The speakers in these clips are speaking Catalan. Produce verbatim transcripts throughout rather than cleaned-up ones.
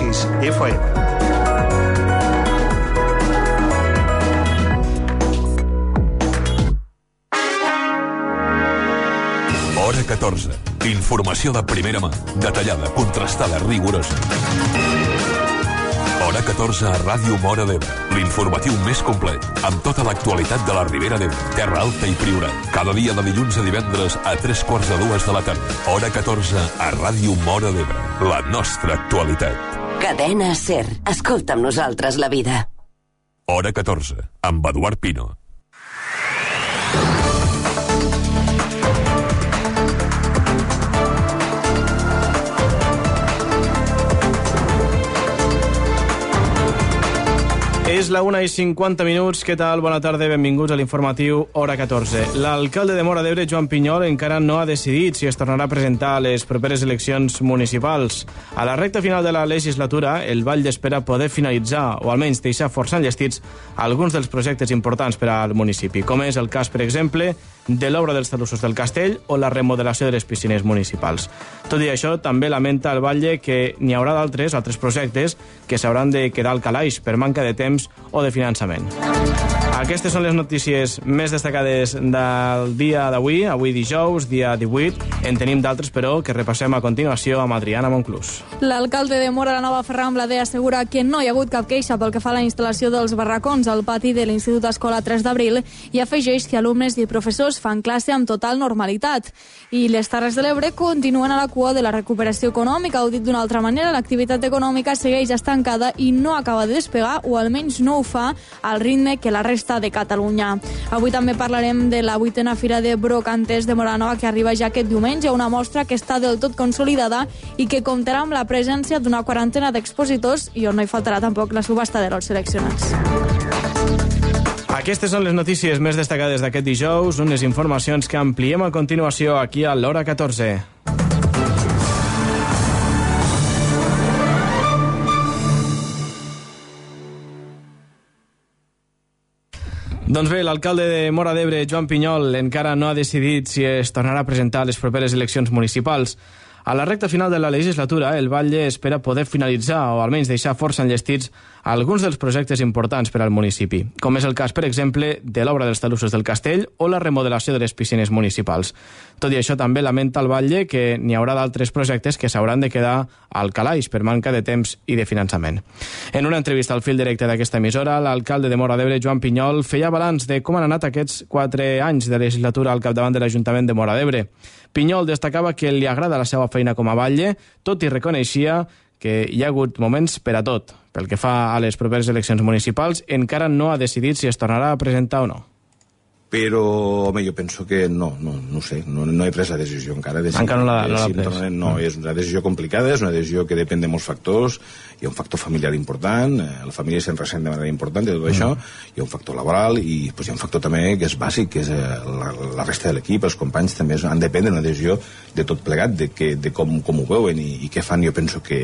sis F M. Hora catorze. Informació de primera mà, detallada, contrastada, rigorosa. Hora catorze a Ràdio Móra d'Ebre. L'informatiu més complet, amb tota l'actualitat de la Ribera d'Ebre, Terra Alta i Priorat. Cada dia de dilluns a divendres a tres quarts de dues de la tarda. Hora catorze a Ràdio Móra d'Ebre. La nostra actualitat. Cadena SER. Escolta amb nosaltres la vida. Hora catorze, amb Eduard Pino. És la una i cinquanta minuts. Què tal? Bona tarda, benvinguts a l'informatiu Hora catorze. L'alcalde de Móra d'Ebre, Joan Pinyol, encara no ha decidit si es tornarà a presentar a les properes eleccions municipals. A la recta final de la legislatura, el Vall d'Espera poder finalitzar, o almenys deixar força enllestits, alguns dels projectes importants per al municipi, com és el cas, per exemple, de l'obra dels talussos del castell o la remodelació de les piscines municipals. Tot i això, també lamenta el Batlle que n'hi haurà d'altres, altres projectes, que s'hauran de quedar al calaix per manca de temps o de finançament. Aquestes són les notícies més destacades del dia d'avui, avui dijous, dia divuit. En tenim d'altres, però, que repassem a continuació amb Adriana Monclús. L'alcalde de Móra la Nova, Ferran Blader, assegura que no hi ha hagut cap queixa pel que fa a la instal·lació dels barracons al pati de l'Institut Escola tres d'abril i afegeix que alumnes i professors fan classe amb total normalitat. I les Terres de l'Ebre continuen a la cua de la recuperació econòmica, o dit d'una altra manera, l'activitat econòmica segueix estancada i no acaba de despegar, o almenys no ho fa al ritme que la resta de Catalunya. Avui també parlarem de la vuitena Fira de Brocantes de Móra la Nova, que arriba ja aquest diumenge, una mostra que està del tot consolidada i que comptarà amb la presència d'una quarantena d'expositors i on no hi faltarà tampoc la subhasta de lots seleccionats. Aquestes són les notícies més destacades d'aquest dijous, unes informacions que ampliem a continuació aquí a l'Hora catorze. Doncs bé, l'alcalde de Móra d'Ebre, Joan Pinyol, encara no ha decidit si es tornarà a presentar a les properes eleccions municipals. A la recta final de la legislatura, el Batlle espera poder finalitzar o almenys deixar força enllestits alguns dels projectes importants per al municipi, com és el cas, per exemple, de l'obra dels talussos del castell o la remodelació de les piscines municipals. Tot i això, també lamenta el Batlle que n'hi haurà d'altres projectes que s'hauran de quedar al calaix per manca de temps i de finançament. En una entrevista al fil directe d'aquesta emissora, l'alcalde de Móra d'Ebre, Joan Pinyol, feia balanç de com han anat aquests quatre anys de legislatura al capdavant de l'Ajuntament de Móra d'Ebre. Pinyol destacava que li agrada la seva feina com a batlle, tot i reconeixia que hi ha hagut moments per a tot. Pel que fa a les properes eleccions municipals, encara no ha decidit si es tornarà a presentar o no. Però, home, jo penso que no, no, no sé, no, no he pres la decisió encara. De si, encara no l'ha no si pres. Tornarem, no, és una decisió complicada, és una decisió que depèn de molts factors. Hi ha un factor familiar important, la família se'n ressent de manera important de tot mm. això, hi ha un factor laboral i pues, hi ha un factor també que és bàsic, que és la, la resta de l'equip, els companys també han de prendre una decisió de tot plegat, de, que, de com, com ho veuen i, i què fan. Jo penso que,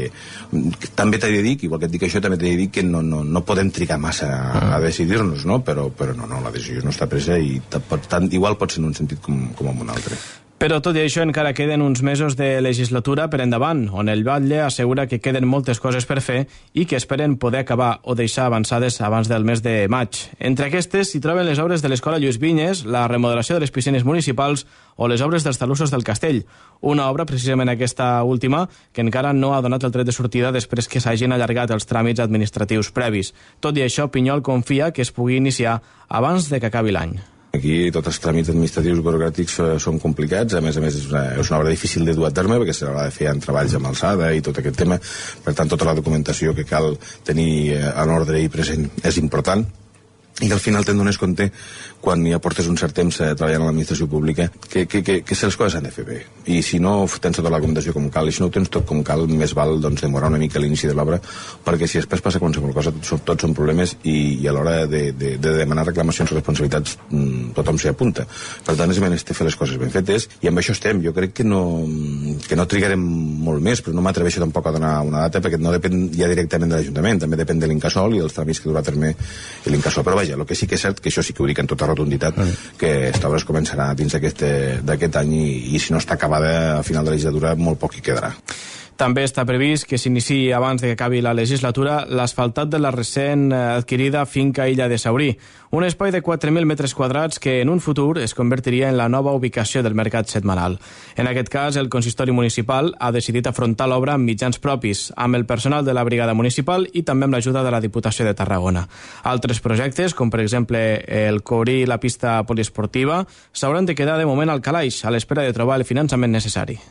que també t'he de dir, igual que et dic això, també t'he de dir que no, no, no podem trigar massa a, a decidir-nos, no? Però, però no, no, la decisió no està presa i tant, igual pot ser en un sentit com, com en un altre. Però tot i això encara queden uns mesos de legislatura per endavant, on el Batlle assegura que queden moltes coses per fer i que esperen poder acabar o deixar avançades abans del mes de maig. Entre aquestes s'hi troben les obres de l'Escola Lluís Vinyes, la remodelació de les piscines municipals o les obres dels talussos del castell. Una obra, precisament aquesta última, que encara no ha donat el tret de sortida després que s'hagin allargat els tràmits administratius previs. Tot i això, Pinyol confia que es pugui iniciar abans de que acabi l'any. Aquí tots els tràmits administratius burocràtics són complicats, a més a més és una, és una obra difícil de dur a terme perquè s'haurà de fer en treballs amb alçada i tot aquest tema, per tant tota la documentació que cal tenir en ordre i present és important i que al final te'n dones compte quan ja portes un cert temps eh, treballant a l'administració pública que, que, que, que les coses s'han de fer bé i si no tens tota la documentació com cal i si no ho tens tot com cal, més val doncs, demorar una mica l'inici de l'obra perquè si després passa qualsevol cosa tots, tots són problemes i, i a l'hora de, de, de demanar reclamacions o responsabilitats mmm, tothom s'hi apunta, per tant és menester fer les coses ben fetes i amb això estem. Jo crec que no, que no trigarem molt més, però no m'atreveixo tampoc a donar una data perquè no depèn ja directament de l'Ajuntament, també depèn de l'Incasòl i dels tràmits que durà a terme l'Incasòl, però vaja, el que sí que és cert, que això sí que ho dic en tota rotunditat, mm. que esta obra es començarà dins d'aquest any i, i si no està acabada a final de la legislatura molt poc hi quedarà. També està previst que s'iniciï abans de que acabi la legislatura l'asfaltat de la recent adquirida finca Illa de Saurí, un espai de quatre mil metres quadrats que en un futur es convertiria en la nova ubicació del mercat setmanal. En aquest cas, el consistori municipal ha decidit afrontar l'obra amb mitjans propis, amb el personal de la brigada municipal i també amb l'ajuda de la Diputació de Tarragona. Altres projectes, com per exemple el cobrir la pista poliesportiva, s'hauran de quedar de moment al calaix, a l'espera de trobar el finançament necessari.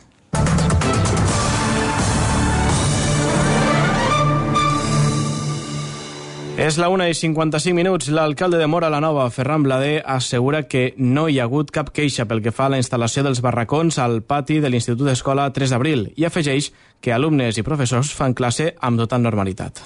És la una i cinquanta-cinc minuts. L'alcalde de Móra la Nova, Ferran Blader, assegura que no hi ha hagut cap queixa pel que fa a la instal·lació dels barracons al pati de l'Institut Escola tres d'abril i afegeix que alumnes i professors fan classe amb total normalitat.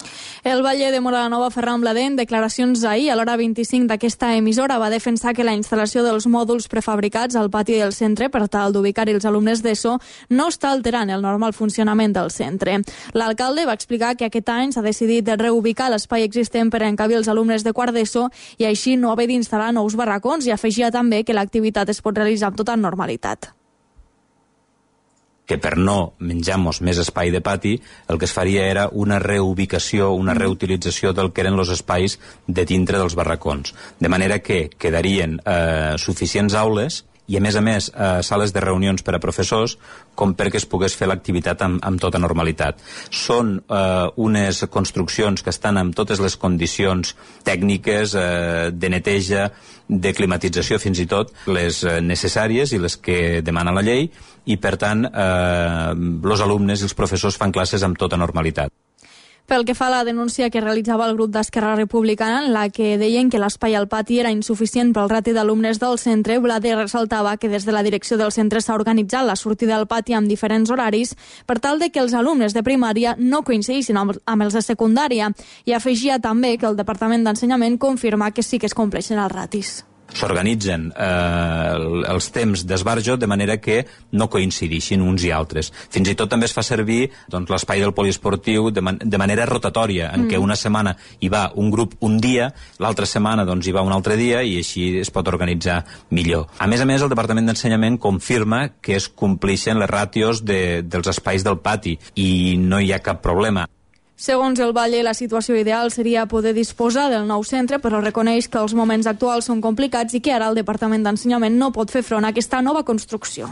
El batlle de Móra la Nova, Ferran Blader, en declaracions ahir a l'hora vint-i-cinc d'aquesta emissora, va defensar que la instal·lació dels mòduls prefabricats al pati del centre per tal d'ubicar-hi els alumnes d'ESO no està alterant el normal funcionament del centre. L'alcalde va explicar que aquest any s'ha decidit de reubicar l'espai existent per encabir els alumnes de quart d'ESO i així no haver d'instal·lar nous barracons, i afegia també que l'activitat es pot realitzar amb tota normalitat. Que per no menjar-nos més espai de pati, el que es faria era una reubicació, una reutilització del que eren els espais de dintre dels barracons. De manera que quedarien eh, suficients aules i, a més a més, eh, sales de reunions per a professors, com perquè es pogués fer l'activitat amb, amb tota normalitat. Són eh, unes construccions que estan amb totes les condicions tècniques, eh, de neteja, de climatització, fins i tot les necessàries i les que demana la llei, i, per tant, eh, els alumnes i els professors fan classes amb tota normalitat. Pel que fa a la denúncia que realitzava el grup d'Esquerra Republicana, en la que deien que l'espai al pati era insuficient pel rati d'alumnes del centre, Blader ressaltava que des de la direcció del centre s'ha organitzat la sortida al pati amb diferents horaris per tal de que els alumnes de primària no coincidissin amb, amb els de secundària, i afegia també que el Departament d'Ensenyament confirma que sí que es compleixen els ratis. S'organitzen eh, els temps d'esbarjo de manera que no coincidixin uns i altres. Fins i tot també es fa servir doncs, l'espai del poliesportiu de, man de manera rotatòria, en mm. què una setmana hi va un grup un dia, l'altra setmana doncs, hi va un altre dia, i així es pot organitzar millor. A més a més, el Departament d'Ensenyament confirma que es complixen les ràtios de, dels espais del pati i no hi ha cap problema. Segons el batlle, la situació ideal seria poder disposar del nou centre, però reconeix que els moments actuals són complicats i que ara el Departament d'Ensenyament no pot fer front a aquesta nova construcció.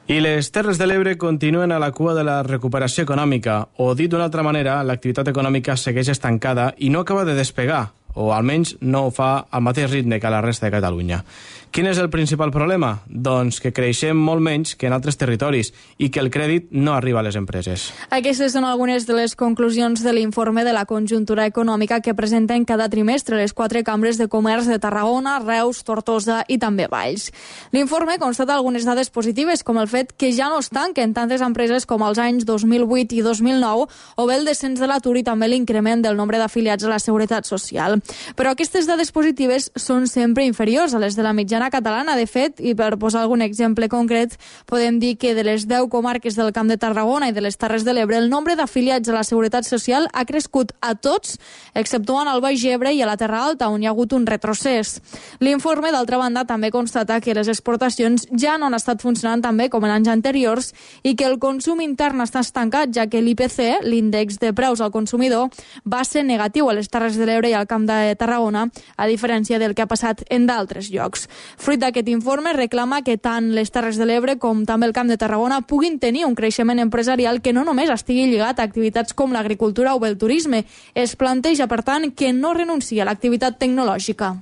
I les Terres de l'Ebre continuen a la cua de la recuperació econòmica, o dit d'una altra manera, l'activitat econòmica segueix estancada i no acaba de despegar, o almenys no ho fa al mateix ritme que a la resta de Catalunya. Quin és el principal problema? Doncs que creixem molt menys que en altres territoris i que el crèdit no arriba a les empreses. Aquestes són algunes de les conclusions de l'informe de la conjuntura econòmica que presenten cada trimestre les quatre cambres de comerç de Tarragona, Reus, Tortosa i també Valls. L'informe constata algunes dades positives, com el fet que ja no es tanquen tantes empreses com els anys dos mil vuit i dos mil nou, o bé el descens de l'atur i també l'increment del nombre d'afiliats a la Seguretat Social. Però aquestes dades positives són sempre inferiors a les de la mitjana catalana. De fet, i per posar algun exemple concret, podem dir que de les deu comarques del Camp de Tarragona i de les Terres de l'Ebre, el nombre d'afiliats a la Seguretat Social ha crescut a tots, exceptuant al Baix Ebre i a la Terra Alta, on hi ha hagut un retrocés. L'informe, d'altra banda, també constata que les exportacions ja no han estat funcionant tan bé com en anys anteriors i que el consum intern està estancat, ja que l'I P C, l'índex de preus al consumidor, va ser negatiu a les Terres de l'Ebre i al Camp de Tarragona, a diferència del que ha passat en d'altres llocs. Fruit d'aquest informe, reclama que tant les Terres de l'Ebre com també el Camp de Tarragona puguin tenir un creixement empresarial que no només estigui lligat a activitats com l'agricultura o el turisme. Es planteja, per tant, que no renuncia a l'activitat tecnològica.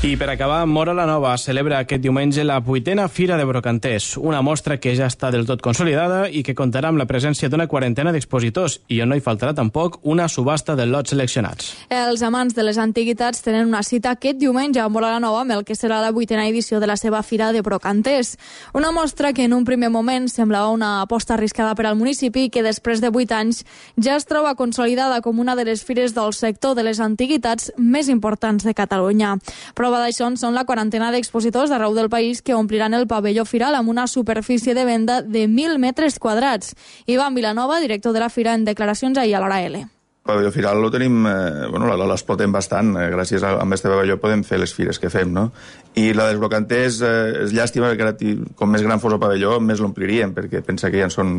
I per acabar, Móra la Nova celebra aquest diumenge la vuitena Fira de Brocanters, una mostra que ja està del tot consolidada i que comptarà amb la presència d'una quarantena d'expositors i on no hi faltarà tampoc una subhasta de lots seleccionats. Els amants de les antiguitats tenen una cita aquest diumenge a Móra la Nova amb el que serà la vuitena edició de la seva Fira de Brocanters. Una mostra que en un primer moment semblava una aposta arriscada per al municipi i que després de vuit anys ja es troba consolidada com una de les fires del sector de les antiguitats més importants de Catalunya. Prova d'això són la quarantena d'expositors d'arreu del país que ompliran el pavelló firal amb una superfície de venda de mil metres quadrats. Ivan Vilanova, director de la fira, en declaracions ahir a l'Hora L. El pavelló Firal lo tenim, eh, bueno, l'explotem bastant, eh, gràcies a, a este pavelló podem fer les fires que fem, no? I la dels brocanters eh, és llàstima perquè com més gran fos el pavelló, més l'ompliríem, perquè pensa que ja en són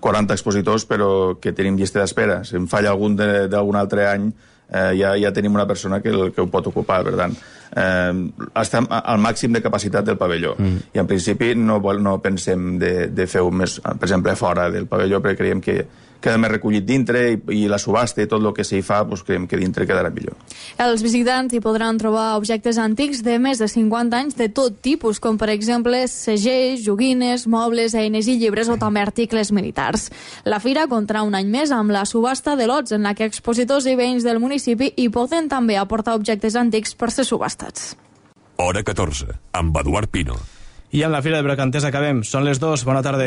quaranta expositors, però que tenim llista d'espera. Si em falla algun d'algun altre any, eh, ja, ja tenim una persona que, el, que ho pot ocupar, per tant. Eh, estem al màxim de capacitat del pavelló. Mm. I en principi no, no pensem de, de fer-ho més, per exemple, fora del pavelló, perquè creiem que queda més recollit dintre i, i la subhasta i tot el que s'hi fa, doncs creiem que dintre quedarà millor. Els visitants hi podran trobar objectes antics de més de cinquanta anys de tot tipus, com per exemple segells, joguines, mobles, eines i llibres o també articles militars. La fira comptarà un any més amb la subhasta de lots, en la que expositors i veïns del municipi hi poden també aportar objectes antics per ser subhastats. Hora catorze, amb Eduard Pino. I amb la Fira de Brocanters acabem. Són les dues. Bona tarda.